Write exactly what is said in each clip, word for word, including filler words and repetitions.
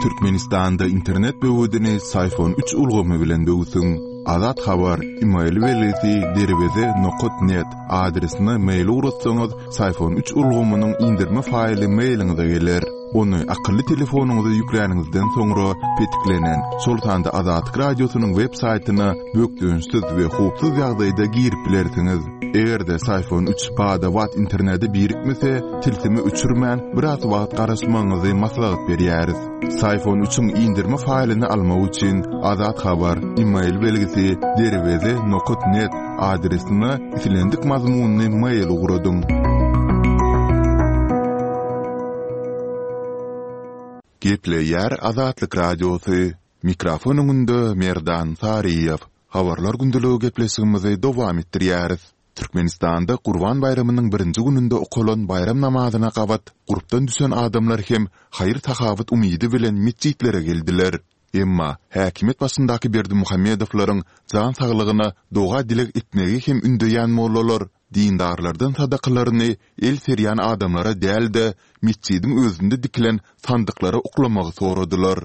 Türkmenistanda internet böwedini Syfon üç ulgamy bilen böwsüň. Azat Habar, email belgisi derweze nokat net adresine mail ugratsaňyz, Syfon üç ulgamynyň indirme faýly mailiňize geler. Ony akylly telefonyňyza ýükläniňizden soňra petiklenen, şol sanda Azatlyk Radiosynyň web saýtyna bökdençsiz we howpsuz ýagdaýda girip bilersiňiz. Eger-de Syfon üç bada-bat internete birikmese, tilsimi öçürmän, biraz wagt garaşmagyňyzy maslahat berýäris. Syfon üçiň indirme faýlyny almak üçin Azat Habar, email belgisi derweze nokat net adresine islendik mazmunly mail ugradyň. Gepleýär Azatlyk Radiosy. Mikrofon öňünde Merdan Saryýew. Habarlar gündeligi gepleşigimizi dowam etdirýäris. Türkmenistanda Gurban baýramynyň birinji gününde okalan bayram namazyna gabat gurpdan düşen adamlar hem haýyr-sahawat umydy bilen metjitlere geldiler. Emma häkimiýet başyndaky Berdimuhamedowlaryň jan saglygyna doga-dileg etmegi hem ündeýän mollalar dindarlardan sadakalaryny el serýän adamlara däl-de, metjidiň özünde dikilen sandyklara oklamagy soradylar.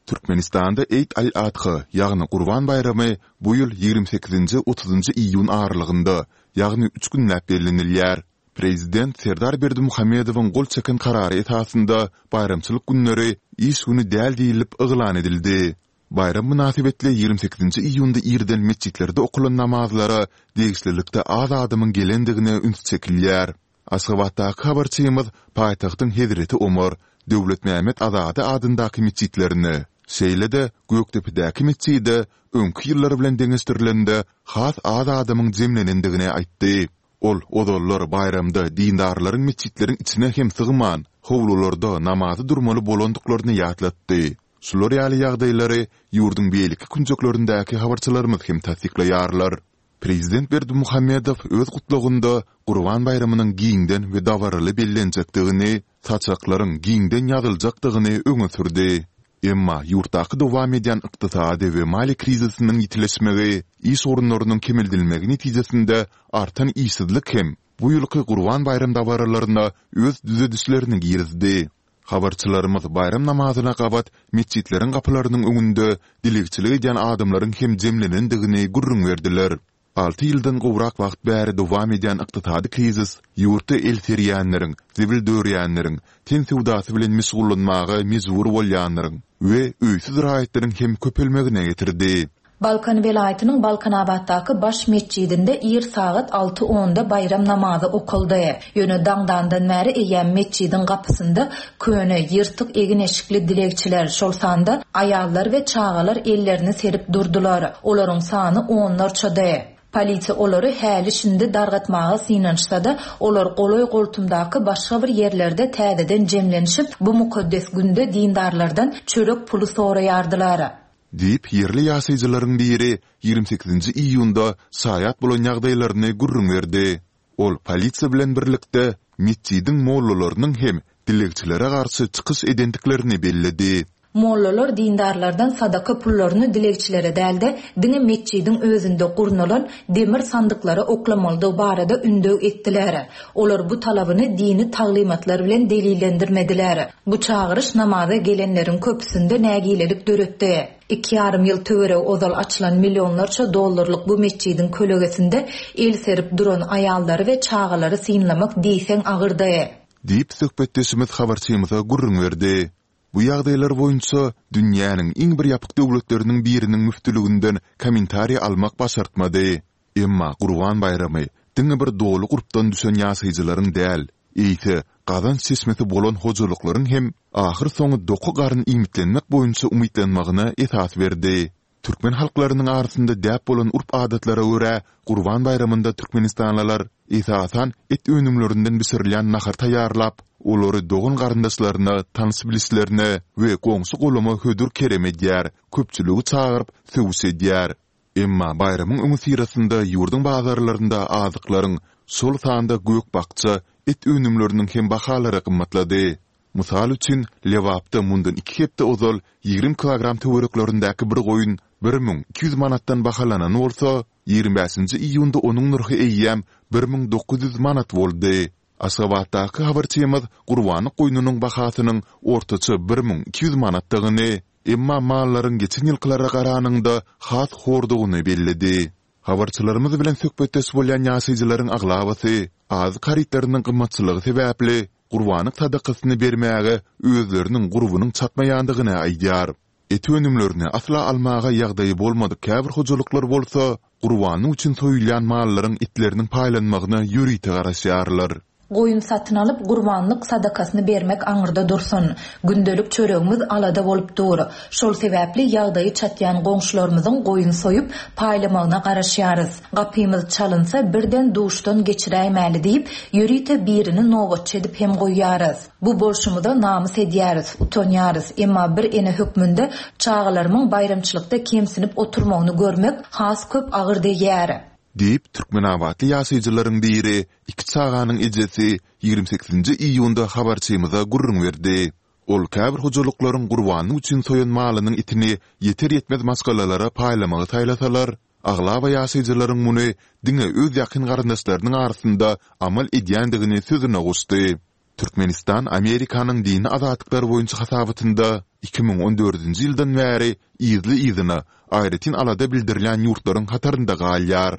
Türkmenistanda Eýd al-Adha, ýagny Gurban baýramy bu ýyl ýigrimi sekizinji otuzynjy iýun aralygynda, ýagny üç günläp bellenilýär. Prezident Serdar Berdimuhamedowyň gol çeken karary esasynda baýramçylyk günleri iş güni däl diýlip yglan edildi. Baýram mynasybetli ýigrimi sekizinji iýunda irden metjitlerde okalan namazlara degişlilikde az adamyň gelendigine üns çekilýär. Aşgabatdaky habarçymyz paýtagtyň Hezreti Omar, Döwletmämmet Azady adyndaky metjitlerine, şeýle-de Gökdepedäki metjide öňki ýyllar bilen deňeşdirilende has az adamyň jemlenendigini aýtdy. Ol ozallar baýramda dindarlaryň metjitleriň içine hem sygman, howlularda namaza durmaly bolandyklaryny ýatlatdy. Şular ýaly ýagdaýlary ýurduň beýleki künjeklerindäki habarçylarymyz hem tassyklaýarlar. Prezident Berdimuhamedow öz gutlagynda Gurban baýramynyň giňden we dabaraly bellenjekdigini, saçaklaryň giňden ýazyljakdygyny öňe sürdi. Emma ýurtdaky dowam edýän ykdysady we maliýe krizisiniň ýitileşmegi, iş orunlarynyň kemeldilmegi netijesinde artan işsizlik hem bu ýylky Gurban baýram dabaralaryna öz düzedişlerini girizdi. Habarçylarymyz baýram namazyna gabat metjitleriň gapylarynyň öňünde dilegçilik edýän adamlaryň hem jemlenendigini gürrüň berdiler. Alty ýyldan gowrak wagt bäri dowam edýän ykdysady krizis ýurtda el serýänleriň, zibil dörýänleriň, ten söwdasy bilen meşgullanmaga mejbur bolýanlaryň we öýsüz raýatlaryň hem köpelmegine getirdi. Balkan welaýatynyň Balkanabatdaky baş metjidinde ir sagat alty onda baýram namazy okaldy. Ýöne daňdandan bäri eýýäm metjidiň gapysynda köne, ýyrtyk egin-eşikli dilegçiler, şol sanda aýallar we çagalar ellerini serip durdular. Olaryň sany onlarçady. Polisiýa olary häli şindi dargatmaga synanyşsa-da, olar golaý-goltumdaky başga bir ýerlerde täzeden jemlenişip, bu mukaddes günde dindarlardan çörek puly soraýardylar. Diýip, ýerli ýaşaýjylaryň biri ýigrimi sekizinji iýunda şaýat bolan ýagdaýlaryny gürrüň berdi. Ol polisiýa bilen birlikde metjidiň mollalarynyň hem dilegçilere garşy çykyş edendiklerini belledi. Mollalar dindarlardan sadaka pullaryny dilegçilere däl-de, diňe metjidiň özünde gurnalan demir sandyklara oklamalydygy barada ündew etdiler. Olar bu talabyny dini taglymatlar bilen delillendirmediler. Bu çagyryş namaza gelenleriň köpüsinde nägilelik döretdi. Iki ýarym ýyl töweregi ozal açylan millionlarça dollarlyk bu metjidiň kölegesinde el serip duran aýallary we çagalary synlamak diýseň agyrdy. Diýip, söhbetdeşimiz habarçymyza gürrüň berdi. Bu ýagdaýlar boýunça dünýäniň iň bir ýapyk döwletleriniň biriniň müftüliginden kommentariý almak başartmady. Emma Gurban baýramy diňe bir doly gurpdan düşen ýaşaýjylaryň däl, eýse gazanç çeşmesi bolan hojalyklaryň hem ahyrsoňy doky garyn iýmitlenmek boýunça umytlanmagyna esas berdi. Türkmen halklarynyň arasynda däp bolan urp-adatlara görä, Gurban baýramynda türkmenistanlylar, esasan, et önümlerinden bişirilýän nahar taýýarlap, olary dogan-garyndaşlaryna, tanyş-bilişlerine we goňşy-golama hödür-kerem edýär, köpçüligi çagyryp, söwüş edýär. Emma baýramyň öňüsyrasynda ýurduň bazarlarynda azyklaryň, şol sanda gök-bakja, et önümleriniň hem bahalary gymmatlady. Mysal üçin, Lebapda mundan iki hepde ozal ýigrimi kilogram töwereklerindäki bir goýun bir müň iki ýüz manatdan bahalanan bolsa, ýigrimi bäşinji iýunda onuň nyrhy eýýäm bir müň dokuz ýüz manat boldy. Aşgabatdaky habarçymyz gurbanlyk goýnunyň bahasynyň ortaça bir müň iki ýüz manatdygyny, emma mallaryň geçen ýylkylara garanyňda has hordugyny belledi. Habarçylarymyz bilen söhbetdeş bolýan ýaşaýjylaryň aglabasy azyk harytlarynyň gymmatçylygy sebäpli gurbanlyk sadakasyny bermäge özleriniň gurbunyň çatmaýandygyny aýdýar. Et önümlerini asla almaga ýagdaýy bolmadyk käbir hojalyklar bolsa, gurbanlyk üçin soýulýan mallaryň etleriniň paýlanmagyna ýörite garaşýarlar. Goýun satyn alyp, gurbanlyk sadakasyny bermek aňyrda dursun, gündelik çöregimiz alada bolup dur. Şol sebäpli ýagdaýy çatýan goňşularymyzyň goýun soýup, paýlamagyna garaşýarys. Gapymyz çalynsa, birden duşdan geçiräýmäli diýip, ýörite birini nobatçy edip hem goýýarys. Bu bolşumyza namys edýäris, utanýarys, emma bir ene hökmünde çagalarymyň baýramçylykda kemsinip oturmagyny görmek has köp agyr degýär. Diýip, türkmenabatly ýaşaýjylaryň biri, iki çaganyň ejesi ýigrimi sekizinji iýunda habarçymyza gürrüň berdi. Ol käbir hojalyklaryň gurbanlyk üçin soýan malynyň etini ýeter-ýetmez maşgalalara paýlamagy saýlasalar, aglaba ýaşaýjylaryň muny diňe öz ýakyn garyndaşlarynyň arasynda amal edýändigini sözüne goşdy. Türkmenistan Amerikanyň dini azatlyklar boýunça hasabatynda iki müň on dördünji ýyldan bäri yzly-yzyna aýratyn alada bildirilýän ýurtlaryň hatarynda galýar.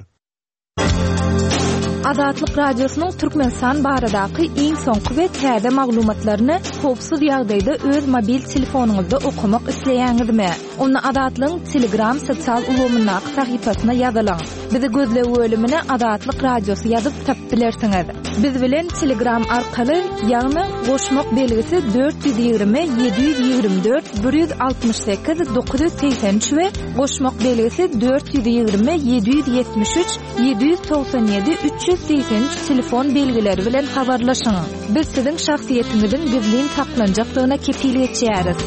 Azatlyk Radiosynyň Türkmenistan baradaky iň soňky we täze maglumatlaryny howpsuz ýagdaýda öz mobil telefonyňyzda okamak isleýäňizmi? Onda Azatlygyň Telegram sosial ulgamyndaky sahypasyna ýazylyň. Bizi gözleg bölümine Azatlyk Radiosy ýazyp tapyp bilersiňiz. Biz bilen Telegram arkaly, ýagny goşmak belgisi dört ýüz ýigrimi ýedi ýüz ýigrimi dört bir ýüz altmyş sekiz dokuz ýüz segsen üç we goşmak belgisi dört ýüz ýigrimi ýedi ýüz ýetmiş üç ýedi ýüz togsan ýedi üç ýüz segsen üç telefon belgileri bilen habarlaşyň. Biz siziň şahsyýetiňiziň gizlin saklanjakdygyna kepil geçýäris.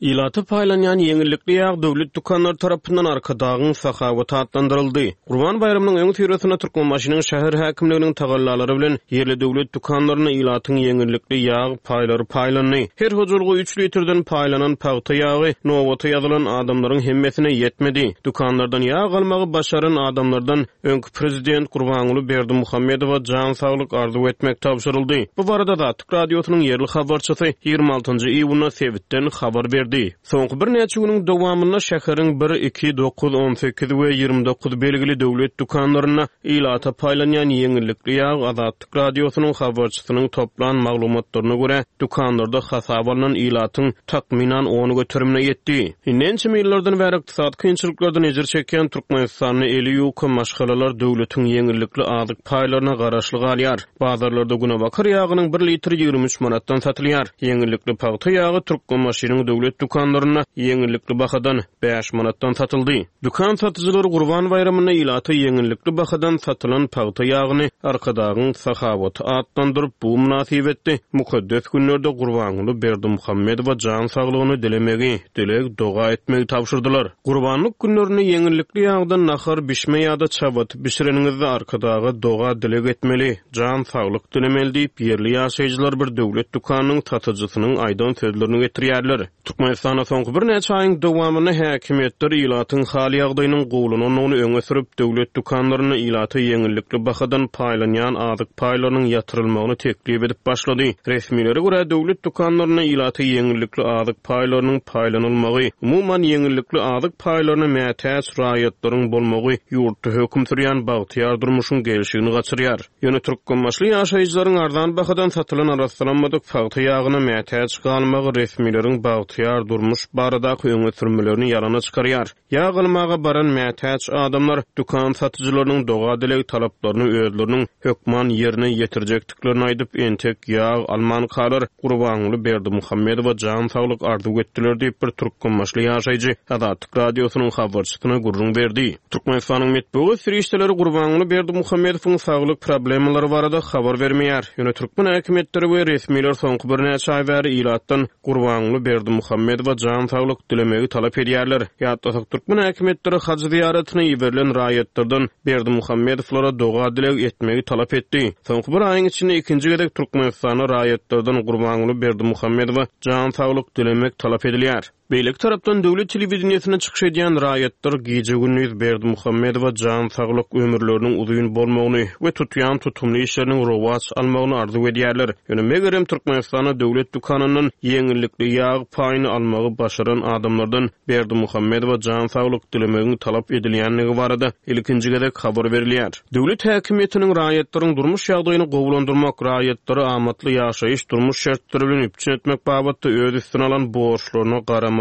Ilata paýlanýan ýeňillikli ýag döwlet dükanlary tarapyndan Arkadagyň sahawaty atlandyryldy. Gurban baýramynyň öňüsyrasynda Türkmenbaşynyň şäher häkimliginiň tagallalary bilen ýerli döwlet dükanlarynda ilatyň ýeňillikli ýag paýlary paýlandy. Her hojalyga üç litrden paýlanan pagta ýagy nobata ýazylan adamlaryň hemmesine ýetmedi. Dükanlardan ýag almagy başaran adamlardan öňki prezident Gurbanguly Berdimuhamedowa jan saglyk arzuw etmek tabşyryldy. Bu barada Azatlyk Radiosynyň ýerli habarçysy ýigrimi altynjy iýunda sebitden habar berdi. Soňky birnäçe günüň dowamynda şäheriň bir, iki, dokuz, on sekiz we ýigrimi dokuz belgili döwlet dükanlarynda ilata paýlanýan ýeňillikli ýag Azatlyk Radiosynyň habarçysynyň toplan maglumatlaryna görä dükanlarda hasap alynan ilatyň takmynan on göterimine ýetdi. Indi ençeme ýyllardan bäri ykdysady kynçylyklardan ejir çekýän Türkmenistanda eli ýuka maşgalalar döwletiň ýeňillikli azyk paýlaryna garaşly galýar. Bazarlarda günebakar ýagynyň bir litri ýigrimi üç manatdan satylýar. Ýeňillikli pagta ýagy Türkmenbaşynyň döwlet dükanlarynda ýeňillikli bahadan bäş manatdan satyldy. Dükan satyjylary Gurban baýramynda ilata ýeňillikli bahadan satylan pagta ýagyny Arkadagyň sahawaty atlandyryp, bu mynasybetli mukaddes günlerde Gurbanguly Berdimuhamedowa jan saglygyny dilemegi, dileg doga etmegi tabşyrdylar. Gurbanlyk günlerinde ýeňillikli ýagdan nahar bişme ýa-da çabaty bişireniňizde Arkadaga doga dileg etmeli, jan saglyk dilemeli diýip, ýerli ýaşaýjylar bir döwlet dükanynyň satyjysynyň aýdan sözlerini getirýärler. Türkmenistanda soňky birnäçe aýyň dowamynda häkimiýetler ilatyň hal ýagdaýynyň gowulanandygyny öňe sürüp, döwlet dükanlarynda ilata ýeňillikli bahadan paýlanýan azyk paýlarynyň ýatyrylmagyny teklip edip başlady. Resmilere görä döwlet dükanlarynda ilata ýeňillikli azyk paýlarynyň paýlanylmagy, umuman ýeňillikli azyk paýlaryna mätäç raýatlaryň bolmagy ýurtda höküm sürýän bagtyýar durmuşyň gelşigini gaçyrýar. Ýöne türkmenbaşly ýaşaýjylaryň arzan bahadan satylan arassalanmadyk pagta ýagyna mätäç galmagy resmileriň bagtyýar durmuş baradaky öňe sürmelerini ýalana çykarýar. Ýag almaga baran mätäç adamlar dükan satyjylarynyň doga dileg talaplaryny özleriniň hökman ýerine ýetirjekdiklerini aýdyp, entek ýag alman kalar Gurbanguly Berdimuhamedowa jan saglyk arzuw etdiler diýip bir türkmenbaşly ýaşaýjy Azatlyk Radiosynyň habarçysyna gürrüň berdi. Türkmenistanyň metbugat serişdeleri Gurbanguly Berdimuhamedowyň saglyk problemalary barada habar bermeýär. Ýöne türkmen häkimiýetleri we resmiler soňky birnäçe aý bäri ilatdan Gurbanguly Berdimuhamedowa jan saglyk dilemegi talap edýärler. Ýatlasak türkmen häkimiýetleri haj zyýaratyna iberilen raýatlardan Berdimuhamedowlara doga dileg etmegi talap etdi. Soňky bir aýyň içinde ikinji gezek Türkmenistanda raýatlardan Gurbanguly Berdimuhamedowa jan saglyk dilemek talap edilýär. Beýleki tarapdan döwlet telewideniýesinde çykyş edýän raýatlar gije-gündiz Berdimuhamedowa jan saglyk, ömürleriniň uzyn bolmagyny we tutýan tutumly işleriniň rowaç almagyny arzuw edýärler. Ýöne megerem Türkmenistanda döwlet dükanyndan ýeňillikli ýag paýyny almagy başaran adamlardan Berdimuhamedowa jan saglyk dilemegiň talap edilýändigi barada ilkinji gezek habar berilýär. Döwlet häkimiýetiniň raýatlaryň durmuş ýagdaýyny gowulandyrmak, raýatlary amatly ýaşaýyş durmuş şertleri bilen üpjün etmek babatda öz üstüne alan borçlaryna garamazdan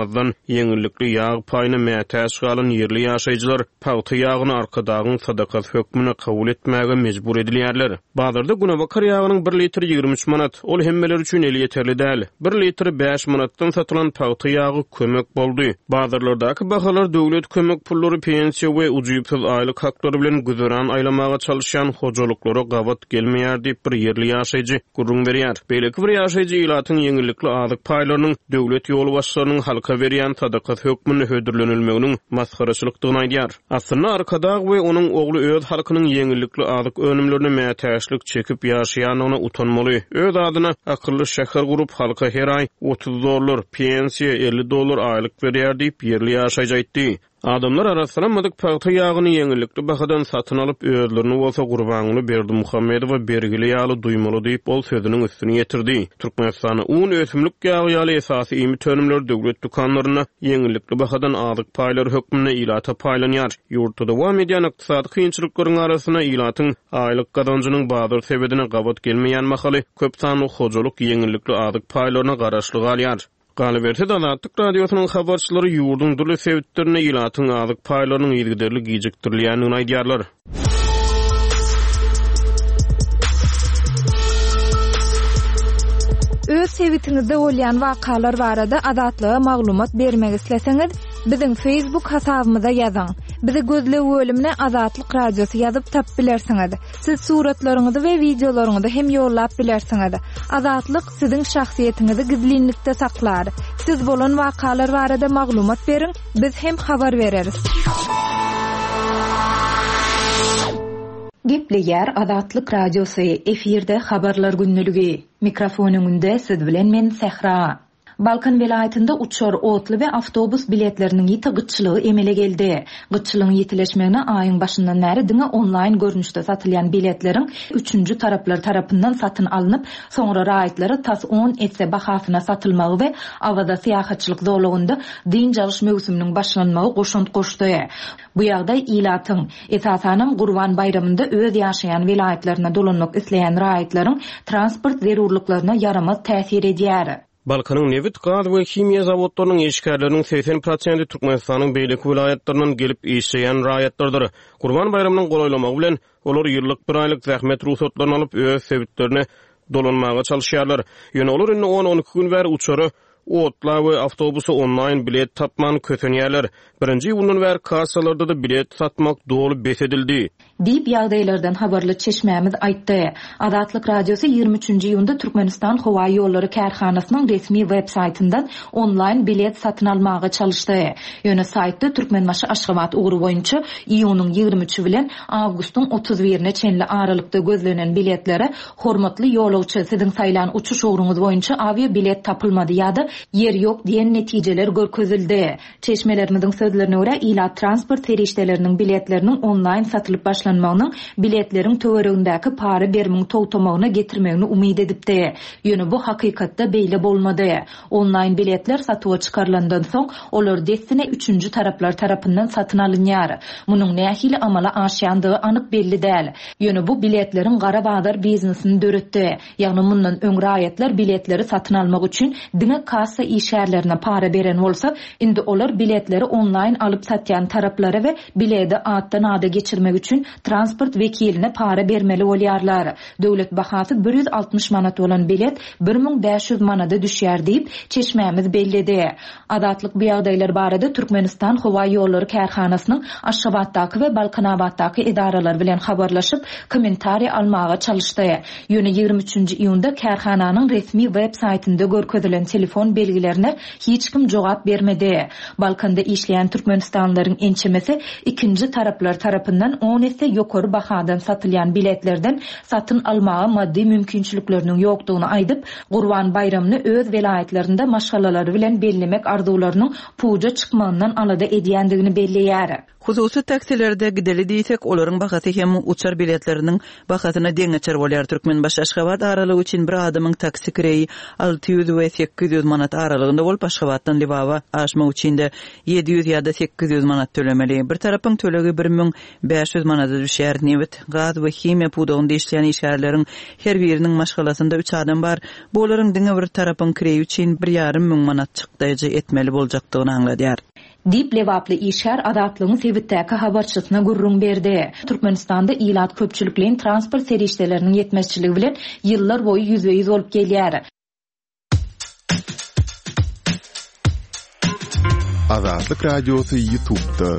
ýeňillikli ýag paýyna mätäç galan ýerli ýaşaýjylar pagta ýagyny Arkadagyň sadakasy hökmünde kabul etmäge mejbur edilýärler. Bazarda günebakar ýagynyň bir litr ýigrimi üç manat, ol hemmeler üçin elýeterli däl. Bir litr bäş manatdan satylan pagta ýagy kömek boldy. Bazarlardaky bahalar döwlet kömek pullary, pensiýa we ujypsyz aýlyk haklary bilen güzeran aýlamaga çalışýan hojalyklara gabat gelmeýär diýip bir ýerli ýaşaýjy gürrüň berýär. Beýleki bir ýaşaýjy ilatyň ýeňillikli azyk paýlarynyň döwlet ýolbaşçylarynyň halka berýän sadakasy hökmünde hödürlenilmeginiň masgaraçylykdygyny aýdýar. Aslynda Arkadag we onuň ogly öz halkynyň ýeňillikli azyk önümlerine mätäçlik çekip ýaşaýandygyna utanmaly. Öz adyna akylly şäher gurup halka her aý otuz dollar, pensiýa elli dollar aýlyk berýär diýip ýerli ýaşaýjy aýtdy. Adamlar arassalanmadyk pagta ýagyny ýeňillikli bahadan satyn alyp, özlerini bolsa Gurbanguly Berdimuhamedowa bergili ýaly duýmaly diýip ol sözüniň üstüni ýetirdi. Türkmenistanda un, ösümlik ýagy ýaly esasy iýmit önümleri döwlet dükanlarynda ýeňillikli bahadan azyk paýlary hökmünde ilata paýlanýar. Ýurtda dowam edýän ykdysady kynçylyklaryň arasynda ilatyň aýlyk gazanjynyň bazar sebedine gabat gelmeýän mahaly köp sanly hojalyk ýeňillikli azyk paýlaryna garaşly galýar. Galyberse-de Azatlyk Radiosynyň habarçylary ýurduň dürli sebitlerinde ilatyň azyk paýlarynyň yzygiderli gijikdirilýändigini aýdýarlar. Öz sebitiňizde bolýan wakalar barada Azatlyga maglumat bermek isleseňiz, biziň Facebook hasabymyza ýazyň. Bizi gözleg bölümine Azatlyk Radiosy ýazyp tap bilersiňiz. Siz suratlaryňyzy we wideolaryňyzy hem ýollap bilersiňiz. Azatlyk siziň şahsyýetiňizi gizlinlikde saklar. Siz bolan wakalar barada maglumat beriň, biz hem habar bereris. Gepleýär Azatlyk Radiosy, efirde habarlar günlügi. Mikrofon öňünde siz bilen men Sähra. Balkan welaýatynda uçar, otly we awtobus biletleriniň ýiti gytçylygy emele geldi. Gytçylygyň ýitileşmegine aýyň başyndan bäri diňe onlaýn görnüşde satylýan biletleriň üçünji taraplar tarapyndan satyn alnyp, soňra raýatlara tas on esse bahasyna satylmagy we Awaza syýahatçylyk zolagynda dynç alyş möwsüminiň başlanmagy goşant goşdy. Bu ýagdaý ilatyň, esasanam Gurban baýramynda öz ýaşaýan welaýatlaryna dolanmak isleýän raýatlaryň transport zerurlyklaryna ýaramaz täsir edýär. Balkanyň nebit, gaz we himiýa zawodlarynyň işgärleriniň seksen prosenti Türkmenistanyň beýleki welaýatlaryndan gelip işleýän raýatlardyr. Gurban baýramynyň golaýlamagy bilen olar ýyllyk bir aýlyk zähmet rugsatlaryny alyp öz sebitlerine dolanmaga çalışýarlar. Ýöne olar indi on-on iki gün bäri uçara, otla we awtobusa onlaýn bilet tapman kösenýärler. Birinji iýundan bäri kassalarda-da bilet satmak doly bes edildi. Diýip ýagdaýlardan habarly çeşmämiz aýtdy. Azatlyk Radiosy ýigrimi üçünji iýunda Türkmenistan Howa Ýollary kärhanasynyň resmi web saýtyndan onlaýn bilet satyn almaga çalyşdy. Ýöne saýtda Türkmenbaşy Aşgabat ugry boýunça iýunyň ýigrimi üçi bilen awgustyň otuz birine çenli aralykda gözlenen biletlere hormatly ýolagçy siziň saýlan uçuş ugruňyz boýunça awia bilet tapylmady ýa-da ýer ýok diýen netijeler görkezildi. Çeşmelerimiziň sözlerine görä ilat transport serişdeleriniň biletleriniň onlaýn satylyp başlanmagynyň biletleriň töweregindäki para berimiň togtamagyna getirmegini umyt edipdi. Ýöne bu hakykatda beýle bolmady. Onlaýn biletler satuwa çykarylandan soň olar dessine üçünji taraplar tarapyndan satyn alynýar. Munuň nähili amala aşýandygy anyk belli däl. Ýöne bu biletleriň gara bazar biznesini döretdi. Ýagny mundan öň raýatlar biletleri satyn almak üçin diňe kassa işgärlerine para beren bolsa, indi olar biletleri onlaýn alyp satýan taraplara we bileti atdan ada geçirmek üçin transport wekiline para bermeli bolýarlar. Döwlet bahasy bir ýüz altmyş manat bolan bilet bir müň bäş ýüz manada düşýär diýip çeşmämiz belledi. Azatlyk bu ýagdaýlar barada Türkmenistan Howa Ýollary kärhanasynyň Aşgabatdaky we Balkanabatdaky edaralar bilen habarlaşyp kommentariý almaga çalyşdy. Ýöne ýigrimi üçünji iýunda kärhananyň resmi web saýtynda görkezilen telefon belgilerine hiç kim jogap bermedi. Balkanda işleýän Türkmenistanlylaryň ençemesi ikinji taraplar tarapyndan on esse ýokary bahadan satylýan biletlerden satyn almaga maddy mümkinçilikleriniň ýokdugyny aýdyp, Gurban baýramyny öz welaýatlarynda maşgalalary bilen bellemek arzuwlarynyň puja çykmagyndan alada edýändigini belleýär. Hususy taksilerde gideli diýsek, olaryň bahasy hem uçar biletleriniň bahasyna deňeçer bolýar. Türkmenbaşy Aşgabat aralygy üçin bir adamyň taksi kireýi alty ýüz we sekiz ýüz manat aralygynda bolup, Aşgabatdan Lebaba aşmak üçin de ýedi ýüz ýa-da sekiz ýüz manat tölemeli. Bir tarapyň tölegi bir müň bäş ýüz manada düşýär. Nebit, gaz we himiýa pudagynda işleýän işgärleriň her biriniň maşgalasynda üç adam bar. Bu olaryň diňe bir tarapyň kireýi üçin bir ýarym müň manat çykdaýjy etmeli boljakdygyny aňladýar. Diýip Lebaply işgär Azatlygyň sebitdäki habarçysyna gürrüň berdi. Türkmenistanda ilat köpçülikleýin transport serişdeleriniň ýetmezçiligi bilen ýyllar boýy ýüzbe-ýüz bolup gelýär. Azatlyk Radiosy YouTube'da.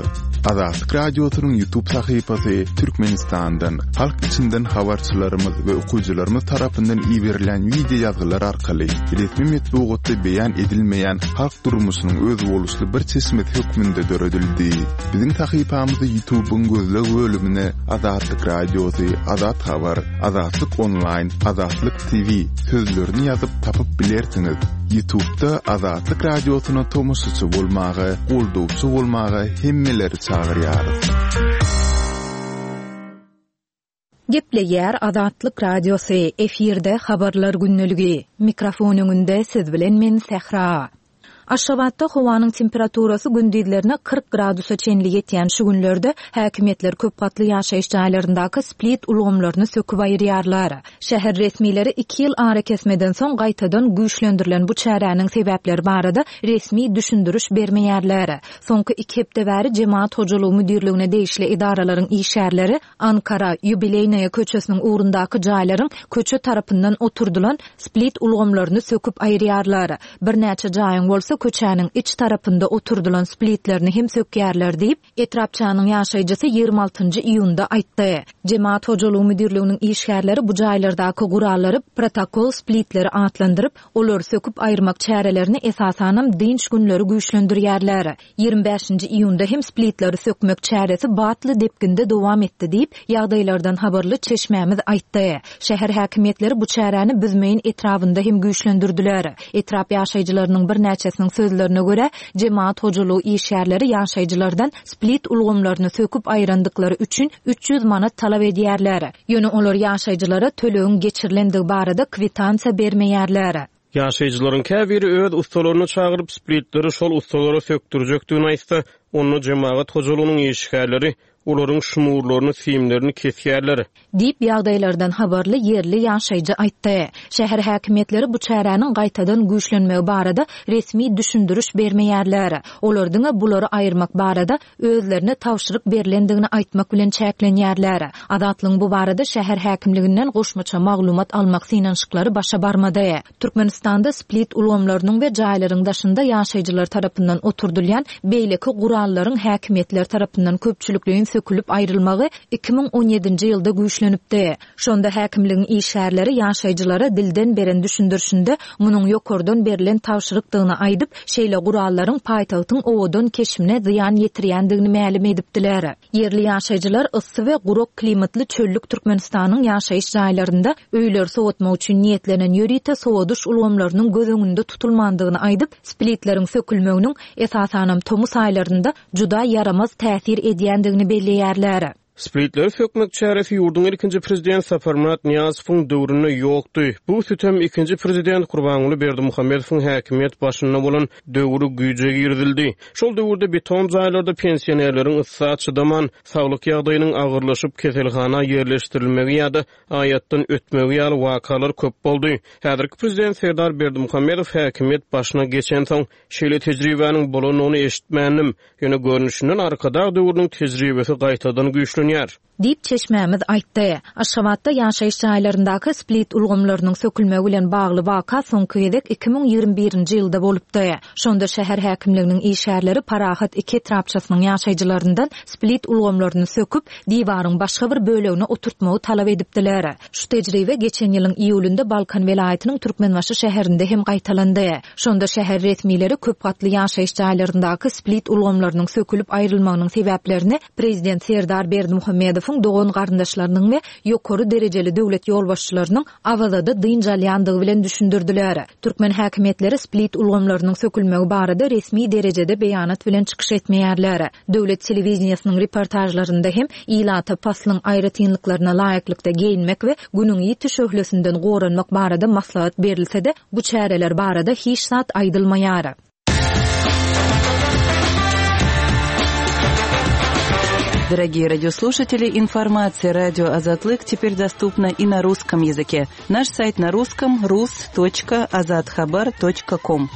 Azatlyk Radiosynyň YouTube sahypasy Türkmenistandan, halk içinden habarçylarymyz we okyjylarymyz tarapyndan iberilen video ýazgylar arkaly resmi metbugatda beýan edilmeýän halk durmuşynyň özboluşly bir çeşmesi hökmünde döredildi. Biziň sahypamyzy YouTube'yň gözleg bölümine Azatlyk Radiosy, Azat Habar, Azatlyk Online, Azatlyk T V sözlerini ýazyp tapyp bilersiňiz. YouTube'da Azatlyk Radiosyna tomaşaçy bolmaga, goldawçy bolmaga hemmeleri çagyrýarys. Gepleýär Azatlyk Radiosy, efirde habarlar günlügi. Mikrofon öňünde siz bilen men Sähra. Aşgabatda howanyň temperaturasy gündizlerine kyrk gradusa çenli ýetýän şu günlerde häkimiýetler köp gatly ýaşaýyş jaýlaryndaky split ulgamlaryny söküp aýyrýarlar. Şäher resmileri iki ýyl ara kesmeden soň gaýtadan güýçlendirilen bu çäräniň sebäpleri barada resmi düşündiriş bermeýärler. Soňky iki hepde bäri Jemaat hojalygy müdirligine degişli edaralaryň işgärleri Ankara Ýubileýnaýa köçesiniň ugrundaky jaýlaryň köçe tarapyndan oturdylan split ulgamlaryny söküp aýyrýarlar. Birnäçe jaýyň bolsa köçäniň iç tarapynda oturdylan splitlerini hem sökýärler diýip, etrapçanyň ýaşaýjysy ýigrimi altynjy iýunda aýtdy. Jemaat hojalygy müdirliginiň işgärleri bu jaýlardaky gurallary protokol splitleri atlandyryp, olary söküp aýyrmak çärelerini esasanam dynç günleri güýçlendirýärler. Ýigrimi bäşinji iýunda hem splitleri sökmek çäresi batly depginde dowam etdi diýip, ýagdaýlardan habarly çeşmämiz aýtdy. Şäher häkimiýetleri bu çäräni Büzmeýin etrabynda hem güýçlendirdiler. Etrap ýaşaýjylarynyň birnäçesiniň sözlerine görä, jemaat hojalygy işgärleri ýaşaýjylardan split ulgamlaryny söküp aýyrandyklary üçin üç ýüz manat talap edýärler. Ýöne olar ýaşaýjylara tölegiň geçirilendigi barada kwitansiýa bermeýärler. Ýaşaýjylaryň käbiri öz ustalaryny çagyryp splitleri şol ustalara sökdürjekdigini aýtsa, onda jemaat hojalygynyň işgärleri olaryň şumurlaryny, simlerini kesýärler. Diýip ýagdaýlardan habarly ýerli ýaşaýjy aýtdy. Şäher häkimiýetleri bu çäräniň gaýtadan güýçlenmegi barada resmi düşündiriş bermeýärler. Olar diňe bulary aýyrmak barada özlerine tabşyryk berlendigini aýtmak bilen çäklenýärler. Azatlygyň bu barada şäher häkimliginden goşmaça maglumat almak synanyşyklary başa barmady. Türkmenistanda split ulgamlarynyň we jaýlaryň daşynda ýaşaýjylar tarapyndan oturdylýan beýleki gurallaryň häkimiýetler tarapyndan köpçülikleýin sökülip aýrylmagy iki müň on ýedinji ýylda güýçlenipdi. Şonda häkimligiň işgärleri ýaşaýjylara dilden beren düşündirişinde munuň ýokardan berlen tabşyrykdygyny aýdyp, şeýle gurallaryň paýtagtyň owadan keşbine zyýan ýetirýändigini mälim edipdiler. Ýerli ýaşaýjylar yssy we gurak klimatly çöllük Türkmenistanyň ýaşaýyş jaýlarynda öýleri soğutmak üçin niýetlenen ýörite sowadyş ulgamlarynyň göz öňünde tutulmandygyny aýdyp, splitleriň sökülmeginiň esasanam tomus aýlarynda juda ýaramaz täsir edýändigini belleýärler. Splitleri sökmek çäresi ýurduň ilkinji prezident Saparmyrat Nyýazowyň döwründe ýokdy. Bu sütem ikinji prezident Gurbanguly Berdimuhamedowyň häkimiýet başynda bolan döwri güýje girizildi. Şol döwürde beton jaýlarda pensionerleriň yssa çydaman, saglyk ýagdaýynyň agyrlaşyp keselhana ýerleşdirilmegi ýa-da aýatdan ötmegi ýaly wakalar köp boldy. Häzirki prezident Serdar Berdimuhamedow häkimiýet başyna geçensoň şeýle tejribäniň bolanyny eşitmändim. Ýöne görnüşinden Arkadag döwrüniň tejribesi gaýtadan güýçlenýär. Diýip çeşmämiz aýtdy. Aşgabatda ýaşaýyş jaýlaryndaky split ulgamlarynyň sökülmegi bilen bagly waka soňky gezek iki müň ýigrimi birinji ýylda bolupdy. Şonda şäher häkimliginiň işgärleri Parahat iki etrapçasynyň ýaşaýjylaryndan split ulgamlaryny söküp, diwaryň başga bir bölegine oturtmagy talap edipdiler. Şu tejribe geçen ýylyň iýulynda Balkan welaýatynyň Türkmenbaşy şäherinde hem gaýtalandy. Şonda şäher resmileri köp gatly ýaşaýyş jaýlaryndaky split ulgamlarynyň sökülip aýrylmagynyň sebäplerini prezident Serdar Berdimuhamedowyň Berdimuhamedowyň dogan-garyndaşlarynyň we ýokary derejeli döwlet ýolbaşçylarynyň Awazada dynç alýandygy bilen düşündirdiler. Türkmen häkimiýetleri split ulgamlarynyň sökülmegi barada resmi derejede beýanat bilen çykyş etmeýärler. Döwlet telewideniýesiniň reportajlarynda hem ilata paslyň aýratynlyklaryna laýyklykda geýinmek we günüň ýiti şöhlesinden goranmak barada maslahat berilse-de, bu çäreler barada hiç zat aýdylmaýar. Дорогие радиослушатели, информация радио Азатлык теперь доступна и на русском языке. Наш сайт на русском rus.azathabar.com.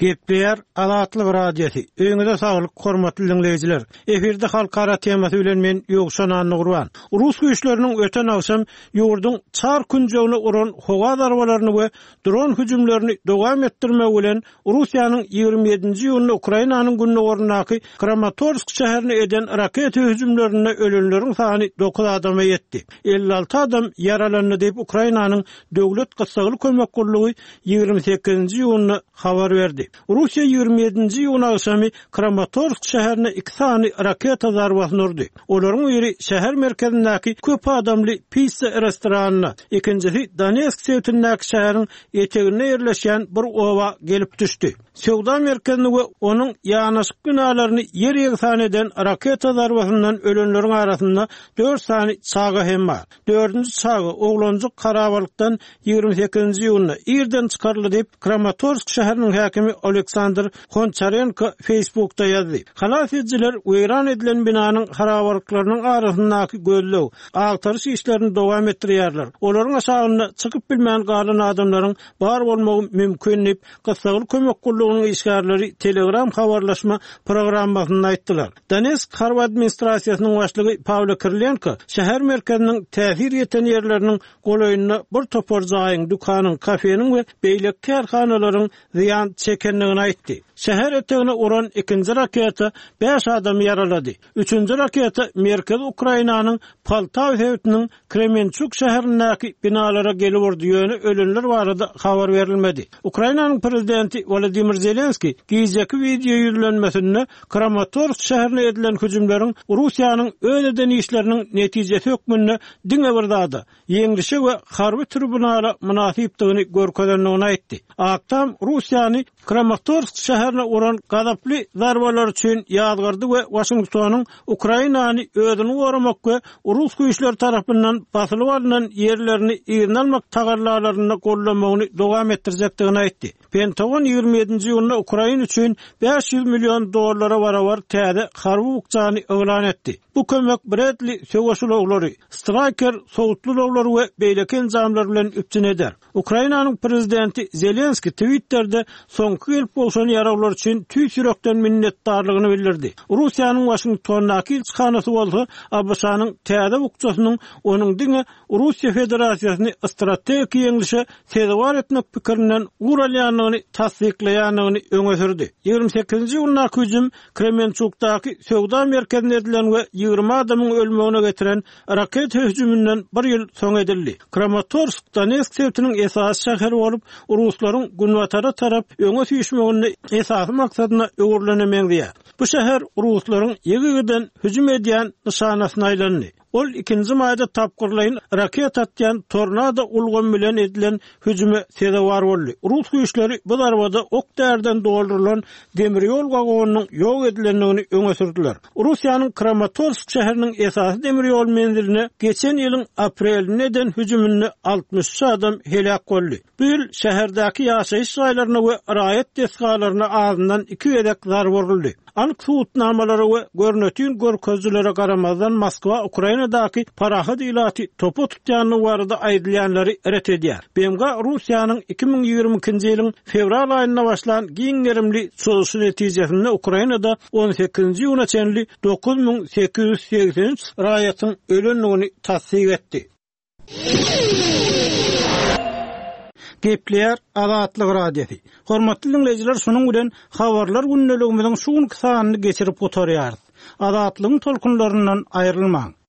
Gepleýär Azatlyk Radiosy. Öýüňize saglyk, hormatly dinleýjiler. Efirde halkara temasy bilen men Ýowşan Annagurban. Rus güýçleriniň öten agşam ýurduň çar künjegine uran howa zarbalaryny we dron hüjümlerini dowam etdirmek bilen Russiýanyň ýigrimi ýedinji iýunda Ukrainanyň gündogaryndaky Kramatorsk şäherine eden raketa hüjümlerinde ölenleriň sany dokuz adama ýetdi. elli alty adam ýaralandy diýip Ukrainanyň döwlet gyssagly kömek gullugy ýigrimi sekizinji iýunda habar berdi. Russiýa ýigrimi ýedinji iýun agşamy Kramatorsk şäherine iki sany raketa zarbasyny urdy. Olaryň biri şäher merkezindäki köp adamly pizza restoranyna, ikinjisi Donetsk sebitindäki şäheriň eteginde ýerleşýän bir oba gelip düşdi. Söwda merkezini we onuň ýanaşyk binalaryny ýer ýegsan eden raketa zarbasyndan ölenleriň arasynda dört sany çaga hem bar. Dördünji çaga oglanjyk harabalykdan ýigrimi sekizinji iýunda irden çykaryldy diýip Kramatorsk şäheriniň häkimi Aleksandr Honçarenko Facebookda ýazdy. Halas edijiler weýran edilen binanyň harabalyklarynyň arasyndaky gözleg, agtaryş işlerini dowam etdirýärler. Olaryň aşagynda çykyp bilmän galan adamlaryň bar bolmagy mümkin diýip gyssagly kömek gullugynyň işgärleri Telegram habarlaşma programmasynda aýtdylar. Donetsk harby administrasiýasynyň başlygy Pawlo Kirilenko şäher merkeziniň täsir ýeten ýerleriniň golaýynda bir topar jaýyň, dükanyň, kafeniň we beýleki kärhanalaryň zyýan çekendigini aýtdy. Şäher etegine uran ikinji raketa bäş adamy ýaralady. Üçünji raketa Merkezi Ukrainanyň Poltawa sebitiniň Kremençuk şäherindäki binalara gelip urdy, ýöne ölenler barada habar berilmedi. Ukrainanyň prezidenti Wladimir Zelenski gijeki video ýüzlenmesinde Kramatorsk şäherine edilen hüjümleriň Russiýanyň öz eden işleriniň netijesi hökmünde diňe bir zada, ýeňlişe we harby tribunala mynasypdygyny görkezendigini aýtdy. Ak Tam Russiýany Kramatorsk şäherine uran gazaply zarbalar üçin ýazgardy we Washingtonyň Ukrainany özüni goramak we Rus güýçleri tarapyndan basylyp alnan ýerlerini yzyna almak tagallalaryny gollamagyny dowam etdirjekdigini aýtdy. Pentagon ýigrimi ýedinji iýunda Ukraina üçin bäş ýüz million dollara barabar täze harby bukjany yglan etdi. Bu kömek Bradley söweş ulaglary, Striker sowutly ulaglary we beýleki enjamlar bilen üpjün eder. Ukrainanyň prezidenti Zelenski Twitter'de soňky gelip gowşan ýaraglar üçin tüýs ýürekden minnetdarlygyny bildirdi. Russiýanyň Washingtondaky ilçihanasy bolsa ABŞ-nyň täze bukjasynyň onuň diňe Russiýa Federasiýasyny strategik ýeňlişe sezewar etmek pikirinden ugur alýandygyny tassyklaýandygyny öňe sürdi. Ýigrimi sekizinji iýundaky hüjüm Kremençukdaky söwda merkezine edilen we ýigrimi adamyň ölmegine getiren raketa hüjüminden bir ýyl soň edildi. Kramatorsk Donetsk sebitiniň esasy şäheri bolup, Ruslaryň günbatara tarap öňe süýşmeginde esasy maksadyna öwrülene meňzeýär. Bu şäher Ruslaryň ýygy-ýygydan hüjüm edýän nyşanasyna aýlandy. Ol ikinji maýda tapgyrlaýyn raketa atýan tornado ulgamy bilen edilen hüjüme sezewar boldy. Rus güýçleri bu zarbada ok därden doldurylan demir ýol wagonynyň ýok edilendigini öňe sürdüler. Russiýanyň Kramatorsk şäheriniň esasy demir ýol menziline geçen ýylyň aprelinde eden hüjüminde altmyş üç adam heläk boldy. Bu ýyl şäherdäki ýaşaýyş jaýlaryna we raýat desgalaryna azyndan iki gezek zarba uruldy. Anyk subutnamalara we görnütün görkezijilere garamazdan Moskwa Ukrainadaky parahat ilaty topa tutýanlygy barada aýdylýanlary ret edýär. B M G Russiýanyň iki müň ýigrimi ikinji ýylyň fewral aýynda başlan giň gerimli çozuşy netijesinde Ukrainada on sekizinji iýuna çenli dokuz müň sekiz ýüz segsen üç raýatyň ölendigini tassyk etdi. Gepleýär Azatlyk Radiosy. Hormatly dinleýjiler, şunuň bilen habarlar gündeligimiziň şu günki sanyny geçirip gutarýarys. Azatlygyň tolkunlaryndan aýrylmaň.